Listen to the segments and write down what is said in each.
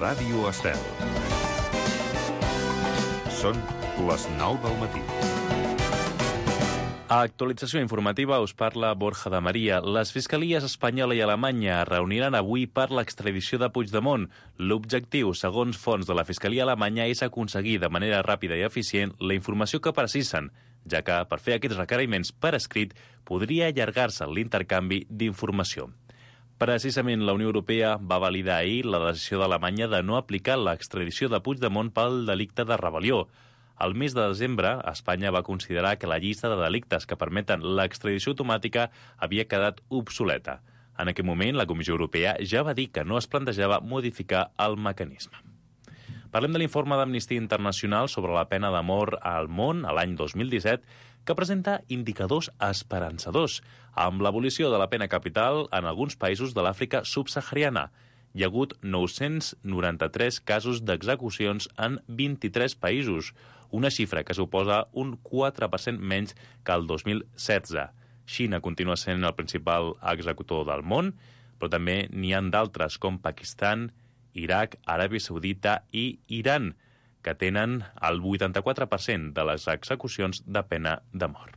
Ràdio Estel. Són les 9 del matí. A Actualització informativa us parla Borja de Maria. Les fiscalies espanyola i alemanya es reuniran avui per l'extradició de Puigdemont. L'objectiu, segons fonts de la Fiscalia alemanya, és aconseguir de manera ràpida i eficient la informació que precisen, ja que per fer aquests requeriments per escrit podria allargar-se l'intercanvi d'informació. Precisament la Unió Europea va validar ahir la decisió d'Alemanya de no aplicar l'extradició de Puigdemont pel delicte de rebel·lió. Al mes de desembre, Espanya va considerar que la llista de delictes que permeten l'extradició automàtica havia quedat obsoleta. En aquell moment, la Comissió Europea ja va dir que no es plantejava modificar el mecanisme. Parlem de l'informe d'Amnistia Internacional sobre la pena de mort al món a l'any 2017, que presenta indicadors esperançadors, amb l'abolició de la pena capital en alguns països de l'Àfrica subsahariana. Hi ha hagut 993 casos d'execucions en 23 països, una xifra que suposa un 4% menys que el 2016. Xina continua sent el principal executor del món, però també n'hi ha d'altres com Pakistan, Iraq, Aràbia Saudita i Iran, que tenen el 84% de les execucions de pena de mort.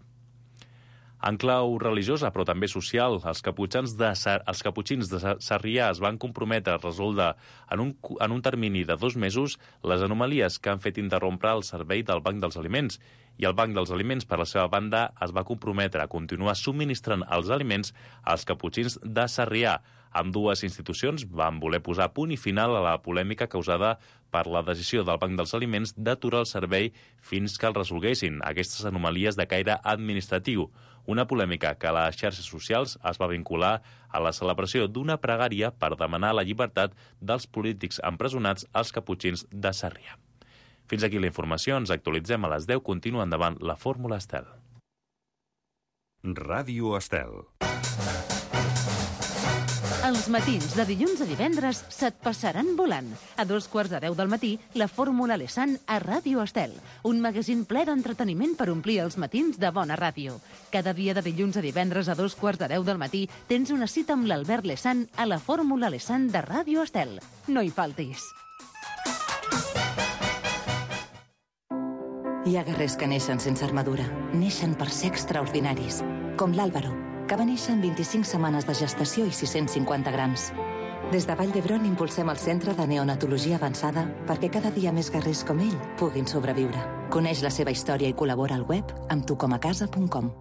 En clau religiosa, però també social, els caputxins de Sarrià es van comprometre a resoldre en un termini de 2 mesos les anomalies que han fet interrompre el servei del Banc dels Aliments, i el Banc dels Aliments, per la seva banda, es va comprometre a continuar subministrant els aliments als caputxins de Sarrià. Ambdues institucions van voler posar punt i final a la polèmica causada per la decisió del Banc dels Aliments d'aturar el servei fins que el resolguessin aquestes anomalies de caire administratiu. Una polèmica que a les xarxes socials es va vincular a la celebració d'una pregària per demanar la llibertat dels polítics empresonats als caputxins de Sarrià. Fins aquí la informació, ens actualitzem a les 10, continua endavant la Fórmula Estel. Ràdio Estel. Els matins de dilluns a divendres se't passaran volant. A 2:15 del matí, la Fórmula Lesan a Ràdio Estel. Un magazín ple d'entreteniment per omplir els matins de bona ràdio. Cada dia de dilluns a divendres a 2:15 del matí tens una cita amb l'Albert Lesan a la Fórmula Lesan de Ràdio Estel. No hi faltis. Hi ha guerrers que neixen sense armadura. Neixen per ser extraordinaris. Com l'Àlvaro, que va néixer en 25 setmanes de gestació i 650 grams. Des de Vall d'Hebron impulsem el Centre de Neonatologia Avançada perquè cada dia més guerrers com ell puguin sobreviure. Coneix la seva història i col·labora al web amb tucomacasa.com.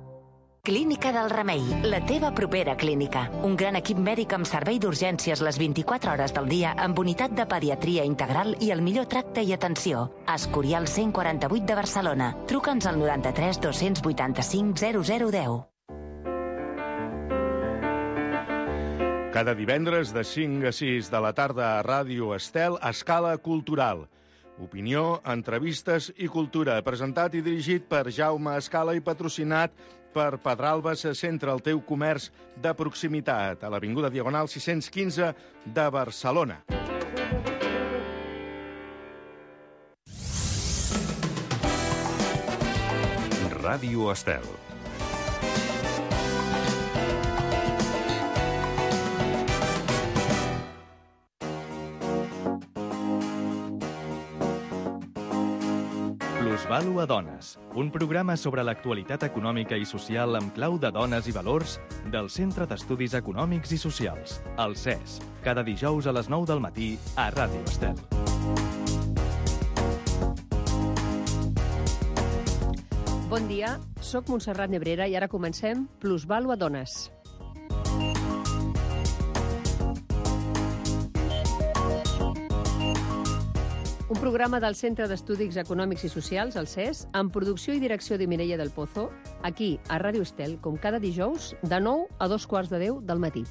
Clínica del Remei, la teva propera clínica. Un gran equip mèdic amb servei d'urgències les 24 hores del dia amb unitat de pediatria integral i el millor tracte i atenció. Escorial 148 de Barcelona. Truca'ns al 93 285 0010. Cada divendres de 5 a 6 de la tarda a Ràdio Estel, Escala Cultural. Opinió, entrevistes i cultura. Presentat i dirigit per Jaume Escala i patrocinat per Pedralbes, centre el teu comerç de proximitat, a l'Avinguda Diagonal 615 de Barcelona. Ràdio Estel. Plusvàlua Dones, un programa sobre l'actualitat econòmica i social amb clau de dones i valors del Centre d'Estudis Econòmics i Socials, el CES, cada dijous a les 9 del matí a Ràdio Estel. Bon dia, soc Montserrat Nebrera i ara comencem Plusvàlua Dones. Un programa del Centre d'Estudis Econòmics i Socials, el CES, amb producció i direcció de Mireia del Pozo, aquí, a Ràdio Estel, com cada dijous, de 9 a 2:15 del matí.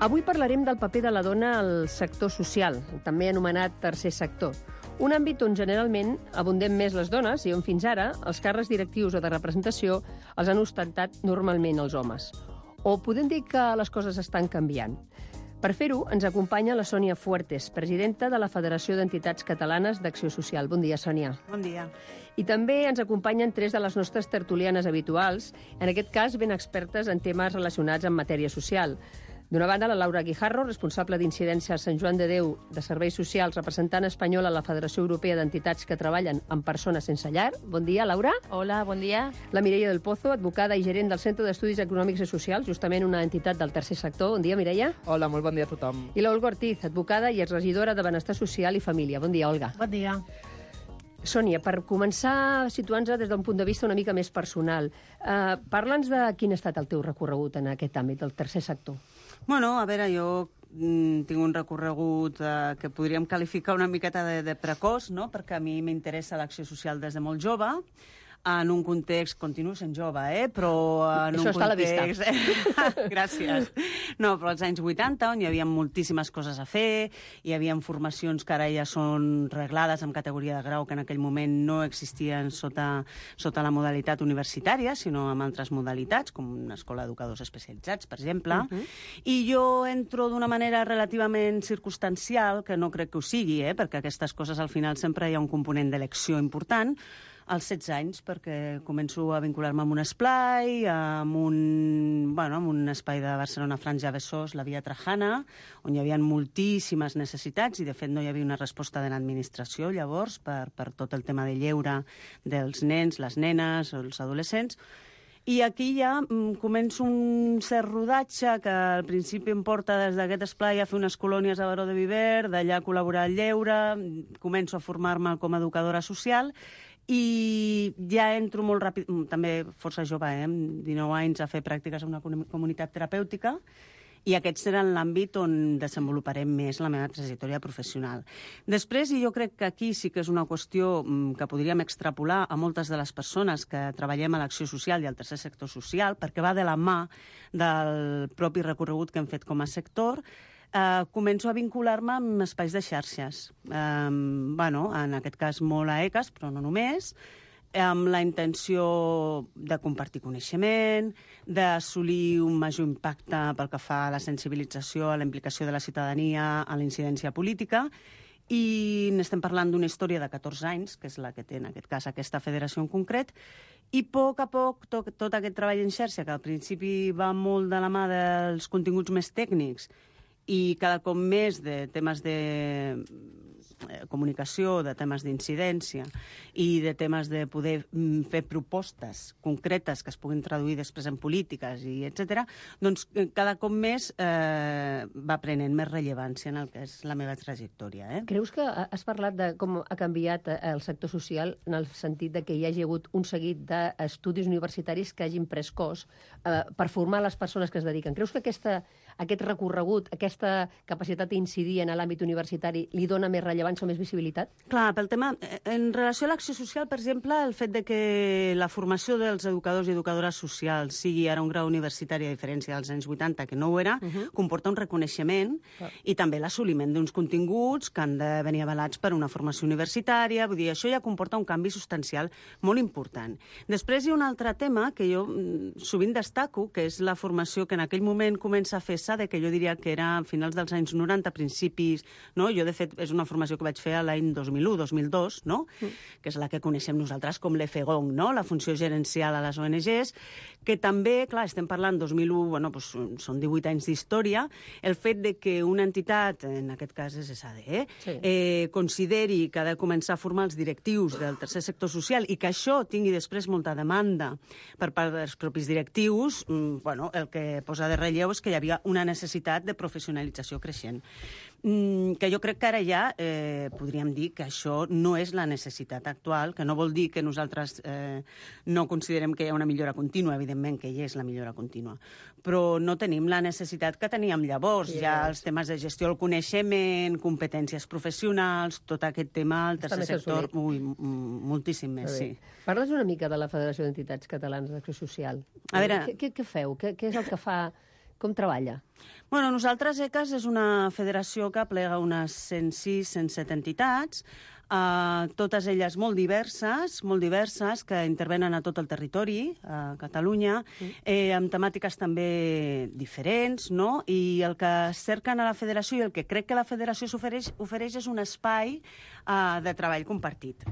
Avui parlarem del paper de la dona al sector social, també anomenat tercer sector. Un àmbit on generalment abundem més les dones i on fins ara els càrrecs directius o de representació els han ostentat normalment els homes. O podem dir que les coses estan canviant. Per fer-ho, ens acompanya la Sònia Fuertes, presidenta de la Federació d'Entitats Catalanes d'Acció Social. Bon dia, Sònia. Bon dia. I també ens acompanyen 3 de les nostres tertulianes habituals, en aquest cas ben expertes en temes relacionats amb matèria social. D'una banda, la Laura Guijarro, responsable d'incidència a Sant Joan de Déu de Serveis Socials, representant espanyol a la Federació Europea d'Entitats que treballen amb persones sense llar. Bon dia, Laura. Hola, bon dia. La Mireia del Pozo, advocada i gerent del Centre d'Estudis Econòmics i Socials, justament una entitat del tercer sector. Bon dia, Mireia. Hola, molt bon dia a tothom. I l'Olga Ortiz, advocada i exregidora de Benestar Social i Família. Bon dia, Olga. Bon dia. Sònia, per començar situant-nos des d'un punt de vista una mica més personal, parla'ns de quin ha estat el teu recorregut en aquest àmbit del tercer sector. Bueno, a veure, jo tinc un recorregut que podríem qualificar una miqueta de precoç, no? Perquè a mi m'interessa l'acció social des de molt jove, en un context, continuo sent jove, però en Això un està context... a la vista. Gràcies. No, però als anys 80, on hi havia moltíssimes coses a fer, hi havia formacions que ara ja són reglades amb categoria de grau, que en aquell moment no existien sota la modalitat universitària, sinó amb altres modalitats, com una escola d'educadors especialitzats, per exemple. I jo entro d'una manera relativament circumstancial, que no crec que ho sigui, perquè aquestes coses al final sempre hi ha un component d'elecció important, als 16 anys, perquè començo a vincular-me amb un esplai, amb un espai de Barcelona Franja Besòs, la Via Trajana, on hi havia moltíssimes necessitats i, de fet, no hi havia una resposta de l'administració, llavors, per tot el tema de lleure dels nens, les nenes, els adolescents. I aquí ja començo un cert rodatge que al principi em porta des d'aquest esplai a fer unes colònies a Baró de Viver, d'allà a col·laborar al lleure, començo a formar-me com a educadora social i ja entro molt ràpid, també força jove, amb 19 anys, a fer pràctiques en una comunitat terapèutica, i aquest serà l'àmbit on desenvoluparem més la meva trajectòria professional. Després, i jo crec que aquí sí que és una qüestió que podríem extrapolar a moltes de les persones que treballem a l'acció social i al tercer sector social, perquè va de la mà del propi recorregut que hem fet com a sector, començo a vincular-me amb espais de xarxes. En aquest cas molt a ECAS, però no només, amb la intenció de compartir coneixement, d'assolir un major impacte pel que fa a la sensibilització, a la implicació de la ciutadania, a la incidència política, i n'estem parlant d'una història de 14 anys, que és la que té en aquest cas aquesta federació en concret, i a poc a poc tot aquest treball en xarxa, que al principi va molt de la mà dels continguts més tècnics i cada cop més de temes de comunicació, de temes d'incidència i de temes de poder fer propostes concretes que es puguin traduir després en polítiques i etc. Doncs cada cop més va prenent més rellevància en el que és la meva trajectòria. Creus que has parlat de com ha canviat el sector social en el sentit de que hi hagi hagut un seguit d'estudis universitaris que hagin pres cos per formar les persones que es dediquen? Creus que aquest recorregut, aquesta capacitat d'incidir en l'àmbit universitari li dona més rellevància o més visibilitat? Clar, pel tema... En relació a l'acció social, per exemple, el fet de que la formació dels educadors i educadores socials sigui ara un grau universitari, a diferència dels anys 80, que no ho era, comporta un reconeixement i també l'assoliment d'uns continguts que han de venir avalats per una formació universitària. Vull dir, això ja comporta un canvi substancial molt important. Després hi ha un altre tema que jo sovint destaco, que és la formació que en aquell moment comença a fer-se, que jo diria que era a finals dels anys 90, principis... No? Jo, de fet, és una formació que vaig fer l'any 2001-2002, no? Que és la que coneixem nosaltres com l'EFEGON, no? La funció gerencial a les ONGs, que també, clar, estem parlant 2001, són 18 anys d'història, el fet de que una entitat, en aquest cas és SADE, consideri que ha de començar a formar els directius del tercer sector social i que això tingui després molta demanda per part dels propis directius, el que posa de relleu és que hi havia una necessitat de professionalització creixent. Que jo crec que ara ja podríem dir que això no és la necessitat actual, que no vol dir que nosaltres no considerem que hi ha una millora contínua, evidentment que hi és la millora contínua, però no tenim la necessitat que teníem llavors. Ja els temes de gestió del coneixement, competències professionals, tot aquest tema al tercer sector, moltíssim més, sí. Parles una mica de la Federació d'Entitats Catalanes d'Acció Social. A veure... Què feu? Què és el que fa... Com treballa? Bueno, nosaltres, ECAS, és una federació que aplega unes 106-107 entitats, totes elles molt diverses, que intervenen a tot el territori, a Catalunya, amb temàtiques també diferents, no? I el que cerquen a la federació i el que crec que la federació ofereix és un espai de treball compartit.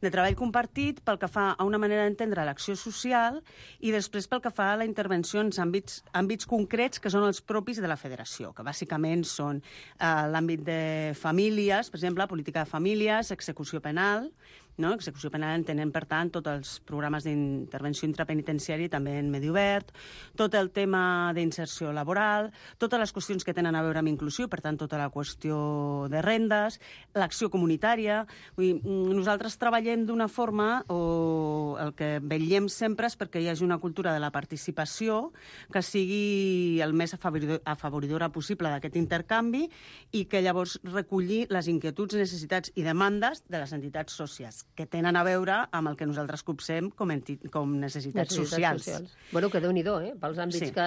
de treball compartit pel que fa a una manera d'entendre l'acció social i després pel que fa a la intervenció en àmbits concrets que són els propis de la federació, que bàsicament són l'àmbit de famílies, per exemple, política de famílies, execució penal, no? Execució penal entenem, per tant, tots els programes d'intervenció intrapenitenciària també en medi obert, tot el tema d'inserció laboral, totes les qüestions que tenen a veure amb inclusió, per tant, tota la qüestió de rendes, l'acció comunitària. Vull dir, nosaltres treballem d'una forma, o el que vetllem sempre és perquè hi hagi una cultura de la participació que sigui el més afavoridora possible d'aquest intercanvi i que llavors recollir les inquietuds, necessitats i demandes de les entitats socials, que tenen a veure amb el que nosaltres copsem com necessitats socials. Bueno, que Déu-n'hi-do, pels àmbits que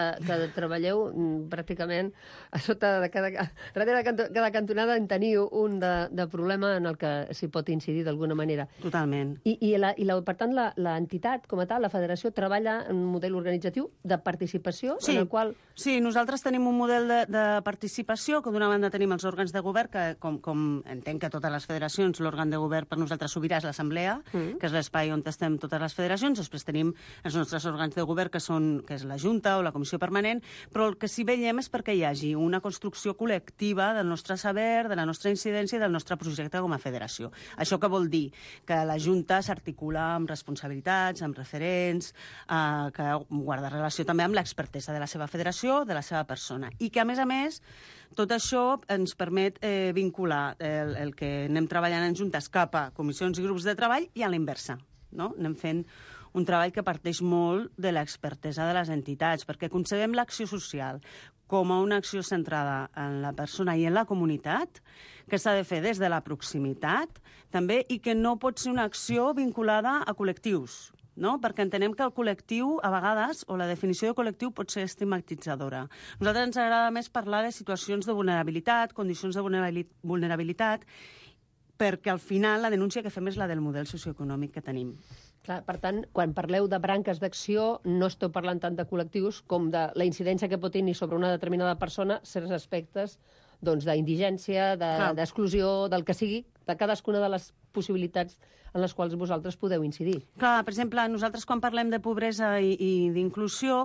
treballeu, pràcticament a sota de darrere de cada cantonada en teniu un de problema en el que s'hi pot incidir d'alguna manera. Totalment. Per tant, l'entitat, com a tal, la federació, treballa en un model organitzatiu de participació, en el qual... Sí, nosaltres tenim un model de participació, que d'una banda tenim els òrgans de govern, que com entenc que totes les federacions, l'òrgan de govern per nosaltres sobirà és l'Assemblea, que és l'espai on estem totes les federacions. Després tenim els nostres òrgans de govern, que és la Junta o la Comissió Permanent, però el que sí veiem és perquè hi hagi una construcció col·lectiva del nostre saber, de la nostra incidència i del nostre projecte com a federació. Això què vol dir? Que la Junta s'articula amb responsabilitats, amb referents, que guarda relació també amb l'expertesa de la seva federació, de la seva persona. I que, a més, tot això ens permet vincular el que anem treballant en juntes cap a comissions i grups de treball i a la inversa, no? Anem fent un treball que parteix molt de l'expertesa de les entitats, perquè concebem l'acció social com a una acció centrada en la persona i en la comunitat, que s'ha de fer des de la proximitat, també, i que no pot ser una acció vinculada a col·lectius, no? Perquè entenem que el col·lectiu, a vegades, o la definició de col·lectiu pot ser estigmatitzadora. A nosaltres ens agrada més parlar de situacions de vulnerabilitat, condicions de vulnerabilitat, perquè al final la denúncia que fem és la del model socioeconòmic que tenim. Clar, per tant, quan parleu de branques d'acció, no esteu parlant tant de col·lectius com de la incidència que pot tenir sobre una determinada persona certs aspectes d'indigència, d'exclusió, del que sigui, de cadascuna de les possibilitats en les quals vosaltres podeu incidir. Clar, per exemple, nosaltres quan parlem de pobresa i d'inclusió,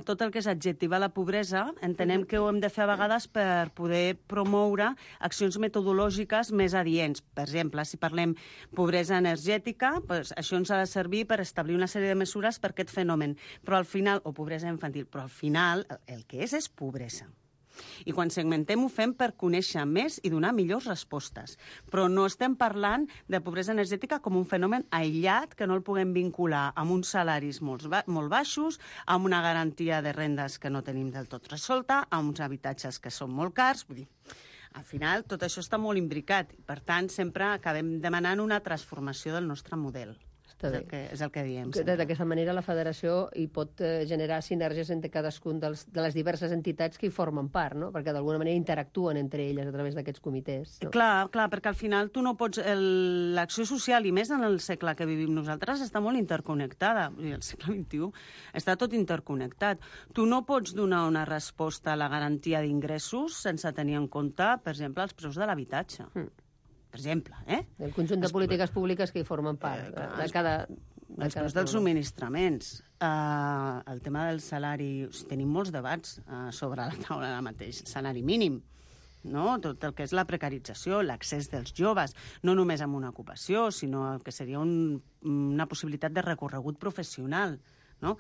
tot el que és adjectivar la pobresa, entenem que ho hem de fer a vegades per poder promoure accions metodològiques més adients. Per exemple, si parlem pobresa energètica, doncs això ens ha de servir per establir una sèrie de mesures per aquest fenomen. Però al final, o pobresa infantil, però al final el que és pobresa. I quan segmentem ho fem per conèixer més i donar millors respostes. Però no estem parlant de pobresa energètica com un fenomen aïllat que no el puguem vincular amb uns salaris molt baixos, amb una garantia de rendes que no tenim del tot resolta, amb uns habitatges que són molt cars. Vull dir, al final tot això està molt imbricat i, per tant, sempre acabem demanant una transformació del nostre model. És el que diem. D'aquesta manera la federació hi pot generar sinergies entre cadascun de les diverses entitats que hi formen part, no? Perquè d'alguna manera interactuen entre elles a través d'aquests comitès. No? Clar, perquè al final tu no pots... L'acció social, i més en el segle que vivim nosaltres, està molt interconnectada. El segle XXI està tot interconnectat. Tu no pots donar una resposta a la garantia d'ingressos sense tenir en compte, per exemple, els preus de l'habitatge. Per exemple, el conjunt de polítiques públiques que hi formen part de cada... Els preus dels subministraments, el tema del salari... Tenim molts debats sobre la taula ara mateix. Salari mínim, no? Tot el que és la precarització, l'accés dels joves, no només amb una ocupació, sinó el que seria una possibilitat de recorregut professional, no?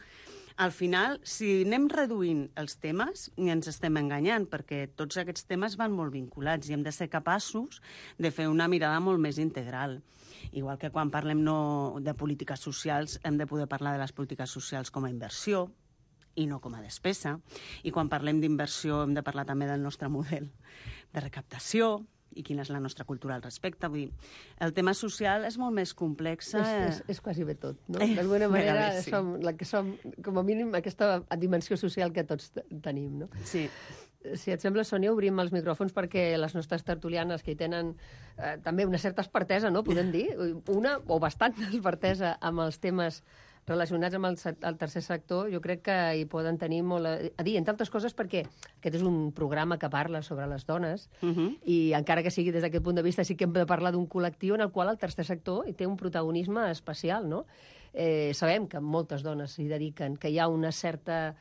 Al final, si anem reduint els temes, ens estem enganyant, perquè tots aquests temes van molt vinculats i hem de ser capaços de fer una mirada molt més integral. Igual que quan parlem de polítiques socials, hem de poder parlar de les polítiques socials com a inversió i no com a despesa. I quan parlem d'inversió hem de parlar també del nostre model de recaptació, i quina és la nostra cultura al respecte. Vull dir, el tema social és molt més complex. És quasi bé tot, no? D'alguna manera som, com a mínim, aquesta dimensió social que tots tenim, no? Sí. Si et sembla, Sònia, obrim els micròfons perquè les nostres tertulianes, que hi tenen també una certa expertesa, no? Podem dir, una o bastant expertesa amb els temes relacionats amb el tercer sector, jo crec que hi poden tenir molt a dir, entre altres coses perquè aquest és un programa que parla sobre les dones i encara que sigui des d'aquest punt de vista sí que hem de parlar d'un col·lectiu en el qual el tercer sector hi té un protagonisme especial, no? Sabem que moltes dones s'hi dediquen, que hi ha una certa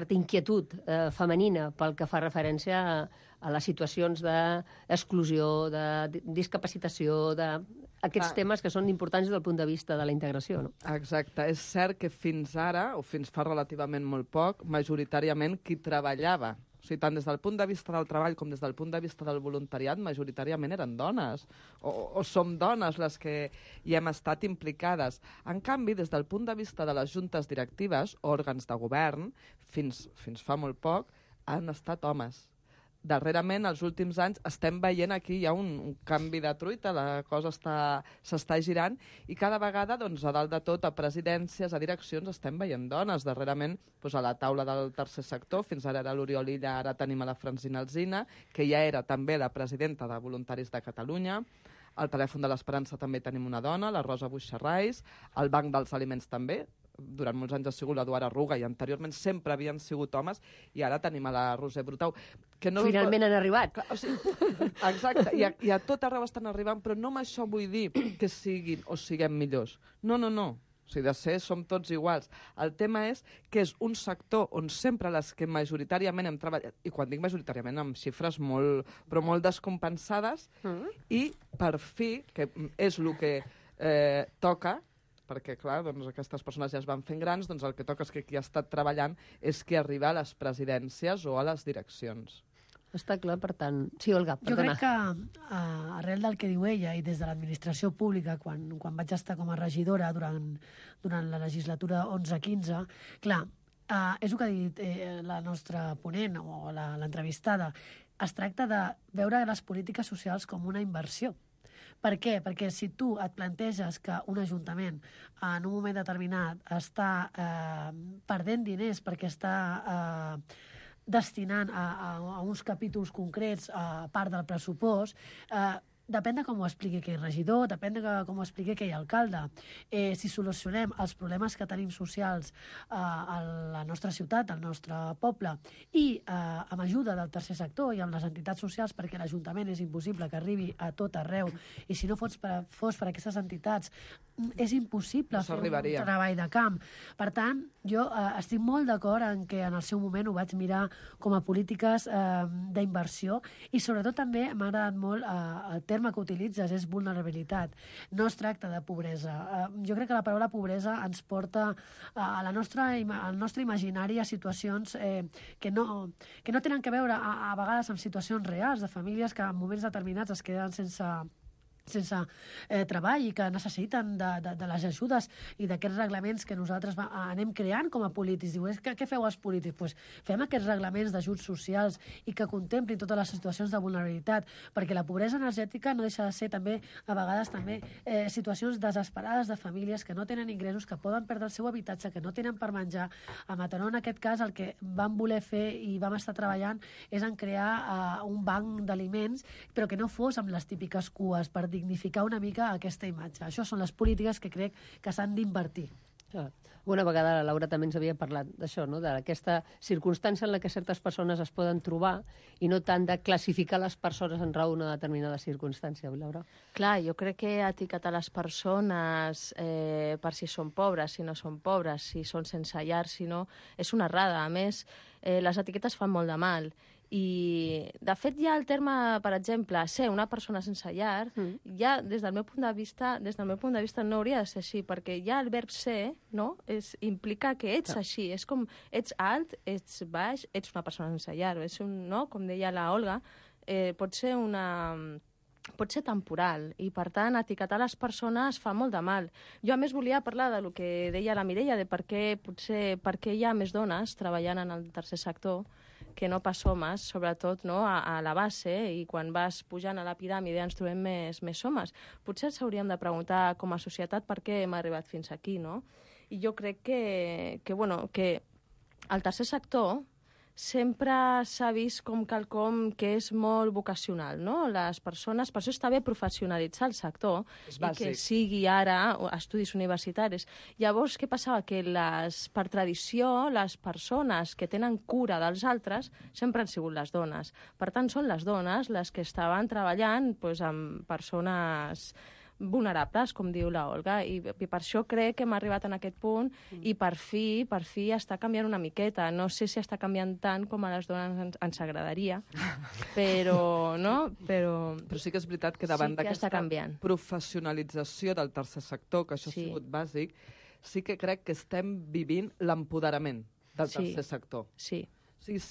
inquietud femenina pel que fa referència a les situacions d'exclusió, de discapacitació, d'aquests temes que són importants des del punt de vista de la integració. No? Exacte. És cert que fins ara, o fins fa relativament molt poc, majoritàriament qui treballava, o sigui, tant des del punt de vista del treball com des del punt de vista del voluntariat, majoritàriament eren dones, o som dones les que hi hem estat implicades. En canvi, des del punt de vista de les juntes directives, òrgans de govern, fins fa molt poc, han estat homes. Darrerament, els últims anys, estem veient aquí hi ha un canvi de truita, la cosa s'està girant, i cada vegada, doncs, a dalt de tot, a presidències, a direccions, estem veient dones. Darrerament, doncs, a la taula del tercer sector, fins ara era l'Oriol Illa, ara tenim a la Francina Alsina, que ja era també la presidenta de Voluntaris de Catalunya. Al telèfon de l'Esperança també tenim una dona, la Rosa Buixarrais, al Banc dels Aliments també, durant molts anys ha sigut l'Eduard Arruga i anteriorment sempre havien sigut homes i ara tenim a la Roser Brutau. Que no... Finalment han arribat. Clar, o sigui, exacte, i a tot arreu estan arribant, però no amb això vull dir que siguin o siguem millors. No. O sigui, de ser som tots iguals. El tema és que és un sector on sempre les que majoritàriament hem treballat, i quan dic majoritàriament amb xifres però molt descompensades, i per fi, que és el que toca, perquè, clar, doncs, aquestes persones ja es van fent grans, doncs el que toca és que qui ha estat treballant és qui arriba a les presidències o a les direccions. Està clar, per tant... Sí, Olga, perdona. Jo crec que, arrel del que diu ella i des de l'administració pública, quan vaig estar com a regidora durant la legislatura 11-15, clar, és el que ha dit la nostra ponent o l'entrevistada, es tracta de veure les polítiques socials com una inversió. Per què? Perquè si tu et planteges que un ajuntament en un moment determinat està perdent diners perquè està destinant a uns capítols concrets a part del pressupost, depèn de com ho expliqui aquell regidor, depèn de com ho expliqui aquell alcalde. Si solucionem els problemes que tenim socials a la nostra ciutat, al nostre poble, i amb ajuda del tercer sector i amb les entitats socials, perquè l'Ajuntament és impossible que arribi a tot arreu, i si no fos per aquestes entitats, és impossible fer un treball de camp. Per tant, jo estic molt d'acord en que en el seu moment ho vaig mirar com a polítiques d'inversió, i sobretot també m'ha agradat molt el terme que utilitzes, és vulnerabilitat. No es tracta de pobresa. Jo crec que la paraula pobresa ens porta al nostre imaginari a situacions que no tenen que veure a vegades amb situacions reals de famílies que en moments determinats es queden sense treball i que necessiten de les ajudes i d'aquests reglaments que nosaltres anem creant com a polítics. Diu, què feu els polítics? Pues fem aquests reglaments d'ajuts socials i que contemplin totes les situacions de vulnerabilitat, perquè la pobresa energètica no deixa de ser també, a vegades també, situacions desesperades de famílies que no tenen ingressos, que poden perdre el seu habitatge, que no tenen per menjar. A Mataró, en aquest cas, el que vam voler fer i vam estar treballant és en crear un banc d'aliments, però que no fos amb les típiques cues, per dignificar una mica aquesta imatge. Això són les polítiques que crec que s'han d'invertir. Una vegada la Laura també ens havia parlat d'això, no? D'aquesta circumstància en la que certes persones es poden trobar i no tant de classificar les persones en raó d'una determinada circumstància, Laura. Clar, jo crec que etiquetar les persones per si són pobres, si no són pobres, si són sense llar, si no, és una errada. A més, les etiquetes fan molt de mal. I, de fet, ja el terme, per exemple, ser una persona sense llar, ja des del meu punt de vista no hauria de ser així, perquè ja el verb ser, no?, implica que ets així, és com ets alt, ets baix, ets una persona sense llar, és no?, com deia la Olga, pot ser temporal, i per tant etiquetar les persones fa molt de mal. Jo a més volia parlar del que deia la Mireia, de per què hi ha més dones treballant en el tercer sector que no pas homes, sobretot no, a la base, i quan vas pujant a la piràmide ens trobem més homes. Potser ens hauríem de preguntar com a societat per què hem arribat fins aquí, no? I jo crec que el tercer sector sempre s'ha vist com quelcom que és molt vocacional, no? Les persones, per això està bé professionalitzar el sector i que sigui ara estudis universitaris. Llavors, què passava? Que per tradició, les persones que tenen cura dels altres sempre han sigut les dones. Per tant, són les dones les que estaven treballant amb persones vulnerables, com diu la Olga, i per això crec que hem arribat en aquest punt i per fi està canviant una miqueta. No sé si està canviant tant com a les dones ens agradaria, però sí que és veritat que davant d'aquesta professionalització del tercer sector, que això ha sigut bàsic, sí que crec que estem vivint l'empoderament del tercer sector. Sí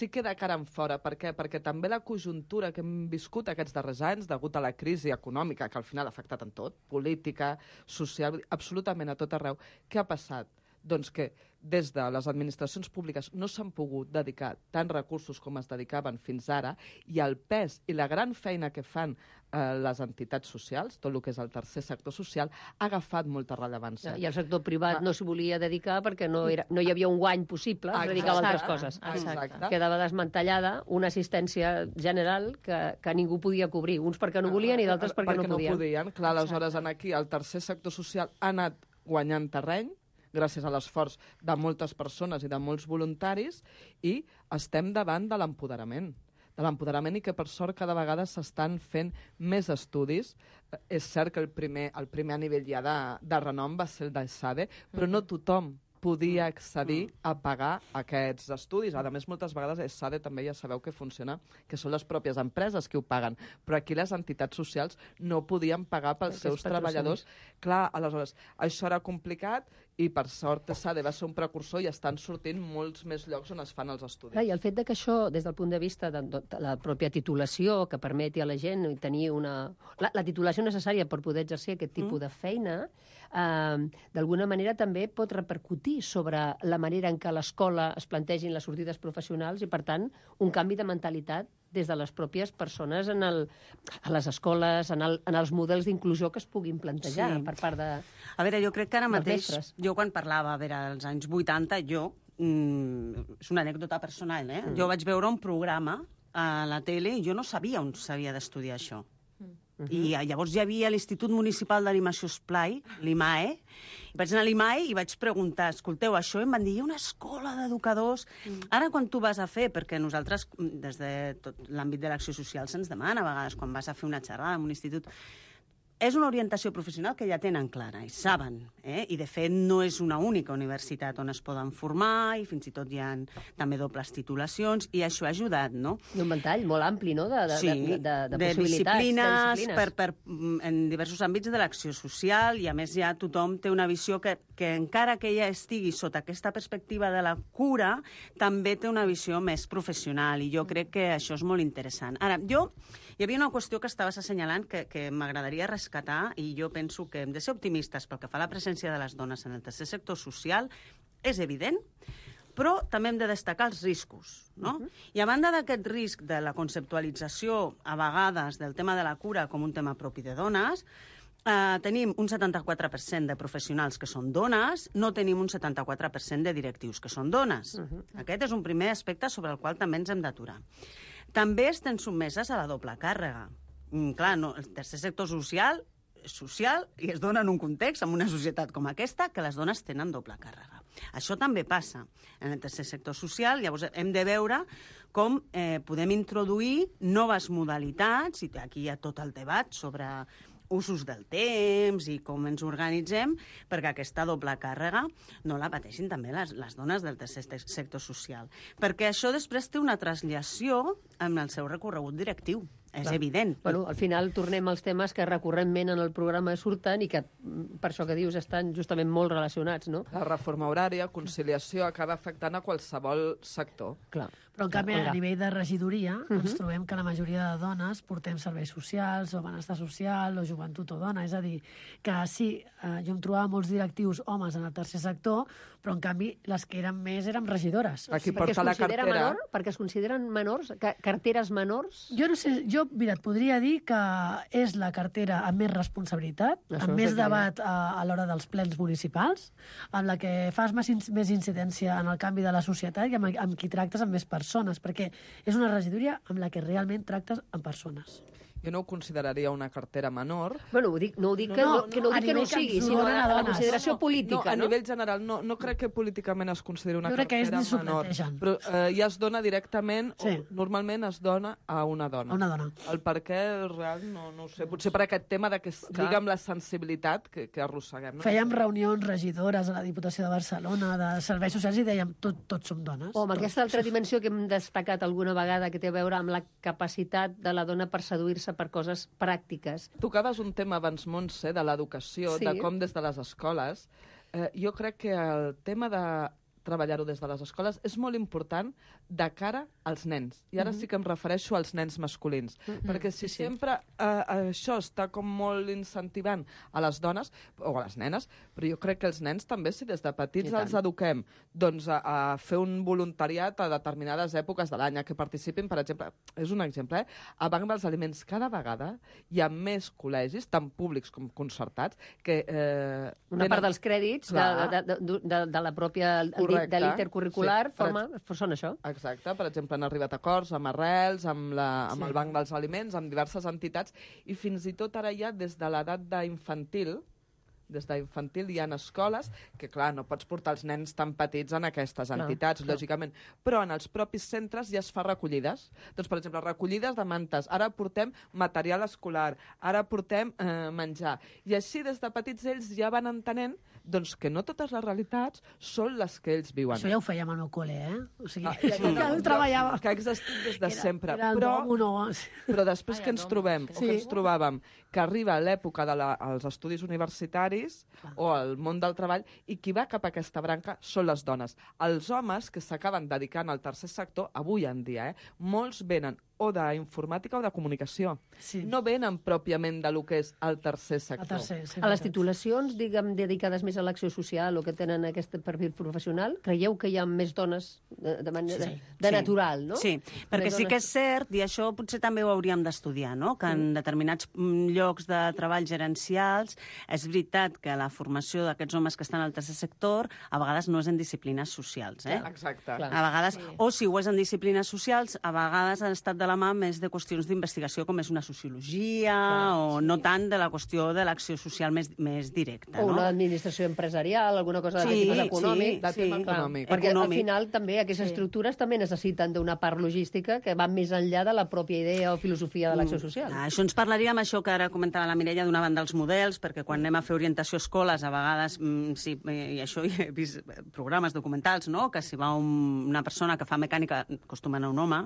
que de cara en fora. Per què? Perquè també la conjuntura que hem viscut aquests darrers anys, degut a la crisi econòmica, que al final ha afectat en tot, política, social, absolutament a tot arreu, què ha passat? Doncs que des de les administracions públiques no s'han pogut dedicar tants recursos com es dedicaven fins ara, i el pes i la gran feina que fan les entitats socials, tot el que és el tercer sector social, ha agafat molta rellevància. I el sector privat no s'hi volia dedicar perquè no hi havia un guany possible, es dedicava a altres coses. Exacte. Quedava desmantellada una assistència general que ningú podia cobrir, uns perquè no volien i d'altres perquè no podien. Clar, aleshores aquí el tercer sector social ha anat guanyant terreny gràcies a l'esforç de moltes persones i de molts voluntaris, i estem davant de l'empoderament. I que, per sort, cada vegada s'estan fent més estudis. És cert que el primer a nivell ja de renom va ser el d'ESADE, però no tothom podia accedir a pagar aquests estudis. A més, moltes vegades ESADE també ja sabeu que funciona, que són les pròpies empreses que ho paguen, però aquí les entitats socials no podien pagar pels seus treballadors. Clar, aleshores, això era complicat i, per sort, ESADE va ser un precursor i estan sortint molts més llocs on es fan els estudis. I el fet que això, des del punt de vista de la pròpia titulació, que permeti a la gent tenir la titulació necessària per poder exercir aquest tipus de feina, d'alguna manera també pot repercutir sobre la manera en què a l'escola es plantegin les sortides professionals i, per tant, un canvi de mentalitat des de les pròpies persones a les escoles, en els models d'inclusió que es puguin plantejar per part de... A veure, jo crec que ara mateix, jo quan parlava, als anys 80, és una anècdota personal, jo vaig veure un programa a la tele i jo no sabia on s'havia d'estudiar això. I llavors hi havia l'Institut Municipal d'Animació Esplai, l'IMAE, vaig anar a l'IMAE i vaig preguntar, escolteu, això em van dir, hi ha una escola d'educadors. Ara, quan tu vas a fer, perquè nosaltres, des de tot l'àmbit de l'acció social, se'ns demana a vegades, quan vas a fer una xerrada en un institut, és una orientació professional que ja tenen clara, i saben, i de fet no és una única universitat on es poden formar, i fins i tot hi ha també dobles titulacions, i això ha ajudat, no? I un ventall molt ampli, no?, de possibilitats. Disciplines en diversos àmbits de l'acció social, i a més ja tothom té una visió que encara que ella estigui sota aquesta perspectiva de la cura, també té una visió més professional, i jo crec que això és molt interessant. Ara, hi havia una qüestió que estaves assenyalant que m'agradaria rescatar, i jo penso que hem de ser optimistes pel que fa a la presència de les dones en el tercer sector social, és evident, però també hem de destacar els riscos, no? I a banda d'aquest risc de la conceptualització, a vegades, del tema de la cura com un tema propi de dones, tenim un 74% de professionals que són dones, no tenim un 74% de directius que són dones. Aquest és un primer aspecte sobre el qual també ens hem d'aturar. També estem sotmeses a la doble càrrega. Clar, el tercer sector social és social i es dona en un context, en una societat com aquesta, que les dones tenen doble càrrega. Això també passa en el tercer sector social, llavors hem de veure com podem introduir noves modalitats, i aquí hi ha tot el debat sobre usos del temps i com ens organitzem perquè aquesta doble càrrega no la pateixin també les dones del tercer sector social. Perquè això després té una translació en el seu recorregut directiu. És evident. Bueno, al final tornem als temes que recurrentment en el programa surten i que, per això que dius, estan justament molt relacionats, no? La reforma horària, conciliació, acaba afectant a qualsevol sector. Clar. Però, en canvi, a nivell de regidoria, ens trobem que la majoria de dones portem serveis socials, o benestar social, o joventut o dona. És a dir, que sí, jo em trobava molts directius homes en el tercer sector, però, en canvi, les que eren més eren regidores. Aquí porta la cartera. Perquè es consideren menors, carteres menors? Jo no sé, jo mira, et podria dir que és la cartera amb més responsabilitat, Això amb més seria. debat a l'hora dels plens municipals, amb la que fas més incidència en el canvi de la societat i amb qui tractes amb més persones, perquè és una regidoria amb la que realment tractes amb persones. Jo no ho consideraria una cartera menor. Bueno, no ho dic que no ho sigui, sinó la consideració política, a nivell general, no crec que políticament es consideri una Jo crec que cartera ells ni s'ho menor. plantegen. Però ja es dona directament, Sí. o normalment es dona a una dona. A una dona. El per què real no ho sé. Potser per aquest tema de que es lliga amb la sensibilitat que arrosseguem. No? Fèiem reunions regidores a la Diputació de Barcelona, de serveis socials, i dèiem tots som dones. O amb aquesta altra dimensió que hem destacat alguna vegada, que té a veure amb la capacitat de la dona per seduir-se per coses pràctiques. Tocaves un tema abans, Montse, de l'educació, Sí. de com des de les escoles. Jo crec que el tema de treballar-ho des de les escoles és molt important de cara als nens. I ara sí que em refereixo als nens masculins. Perquè si sempre això està com molt incentivant a les dones, o a les nenes, però jo crec que els nens també, si des de petits els eduquem doncs, a fer un voluntariat a determinades èpoques de l'any, a que participin, per exemple, és un exemple, a Banc dels Aliments cada vegada hi ha més col·legis, tant públics com concertats, que... Una part dels crèdits de la pròpia de l'intercurricular són això. Exacte, per exemple, han arribat a acords amb Arrels, amb el Banc dels Aliments, amb diverses entitats, i fins i tot ara ja des de l'edat d'infantil, hi ha escoles que, clar, no pots portar els nens tan petits en aquestes entitats, lògicament, però en els propis centres ja es fa recollides. Doncs, per exemple, recollides de mantes. Ara portem material escolar, ara portem menjar. I així, des de petits, ells ja van entenent doncs, que no totes les realitats són les que ells viuen. Això ja ho fèiem al meu col·le, O sigui, ja ho treballava. Que ha existit des de sempre. Era Però després que ens trobem, o que ens trobàvem, que arriba l'època dels estudis universitaris o al món del treball, i qui va cap a aquesta branca són les dones. Els homes que s'acaben dedicant al tercer sector, avui en dia, molts venen o d'informàtica o de comunicació. No venen pròpiament de lo que és el tercer sector. A les titulacions, diguem, dedicades més a l'acció social o que tenen aquest perfil professional, creieu que hi ha més dones de manera natural, no? Sí, perquè sí que és cert, i això potser també ho hauríem d'estudiar, no? Que en determinats llocs de treball gerencials és veritat que la formació d'aquests homes que estan al tercer sector a vegades no és en disciplines socials, Exacte. A vegades, o si ho és en disciplines socials, a vegades han estat de la mà més de qüestions d'investigació com és una sociologia o no tant de la qüestió de l'acció social més directa. O una administració empresarial, alguna cosa de tipus econòmic. Perquè al final també aquestes estructures també necessiten d'una part logística que va més enllà de la pròpia idea o filosofia de l'acció social. Això ens parlaria amb això que ara comentava la Mireia, d'una banda els models, perquè quan anem a fer orientació a escoles, a vegades, sí, i això he vist programes documentals, no?, que si va una persona que fa mecànica, acostuma a anar un home.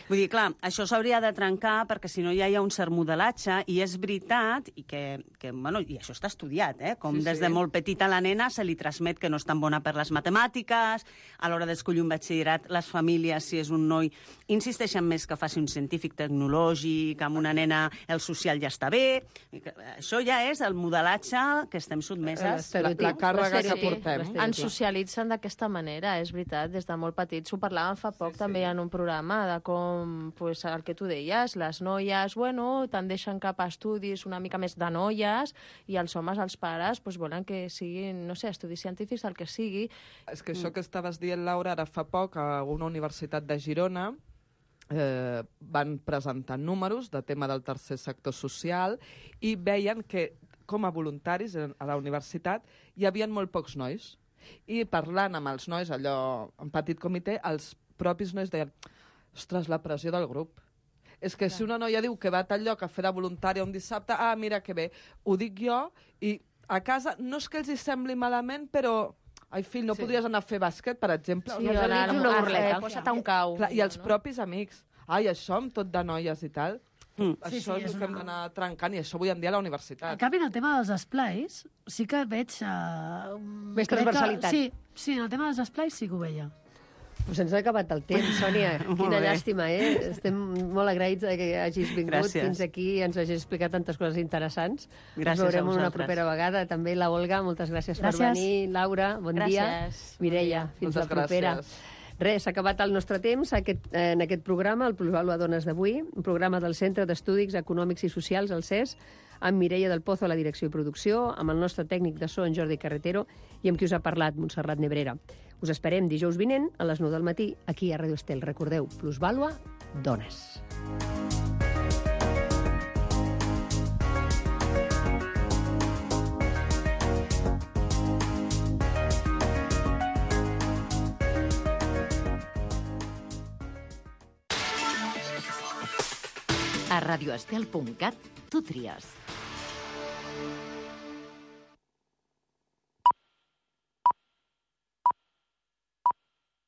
Vull dir, clar, això s'hauria de trencar perquè si no ja hi ha un cert modelatge, i és veritat, i bueno, i això està estudiat, com des de molt petita a la nena se li transmet que no és tan bona per les matemàtiques, a l'hora d'escollir un batxillerat, les famílies, si és un noi, insisteixen més que faci un científic tecnològic, amb una nena el social ja està bé. Això ja és el modelatge que estem sotmeses. La càrrega que portem. Ens socialitzen d'aquesta manera, és veritat, des de molt petits. Ho parlàvem fa poc també en un programa de com, pues, el que tu deies, les noies, bueno, tendeixen cap a estudis una mica més de noies, i els homes, els pares, pues, volen que siguin, no sé, estudis científics, el que sigui. És que això que estaves dient, Laura, ara fa poc a una universitat de Girona van presentar números de tema del tercer sector social i veien que com a voluntaris a la universitat hi havia molt pocs nois. I parlant amb els nois, allò en petit comitè, els propis nois deien: ostres, la pressió del grup. És que si una noia diu que va a tal lloc a fer de voluntària un dissabte, mira que bé, ho dic jo, i a casa no és que els hi sembli malament, però... Ai, fill, no podries anar a fer bàsquet, per exemple? Sí, una burleta. Posa't a un cau. I els propis amics. Ai, això amb tot de noies i tal. Això és el que hem d'anar trencant, i això avui en dia a la universitat. En canvi, en el tema dels esplais, sí que veig... Més transversalitat. Sí, en el tema dels esplais sí que ho veia. Pues ens ha acabat el temps, Sònia. Quina llàstima, Estem molt agraïts que hagis vingut fins aquí i ens hagis explicat tantes coses interessants. Gràcies ens veurem a vosaltres. una propera vegada. També la Olga, moltes gràcies per venir. Laura, bon dia. Mireia, fins la propera. Res, s'ha acabat el nostre temps en aquest programa, el Plusvàlua Dones d'avui, un programa del Centre d'Estudis Econòmics i Socials, el CES, amb Mireia del Pozo a la direcció i producció, amb el nostre tècnic de so, en Jordi Carretero, i amb qui us ha parlat, Montserrat Nebrera. Us esperem dijous vinent a les 9 del matí, aquí a Ràdio Estel. Recordeu, Plusvàlua Dones. A radioestel.cat tu tries.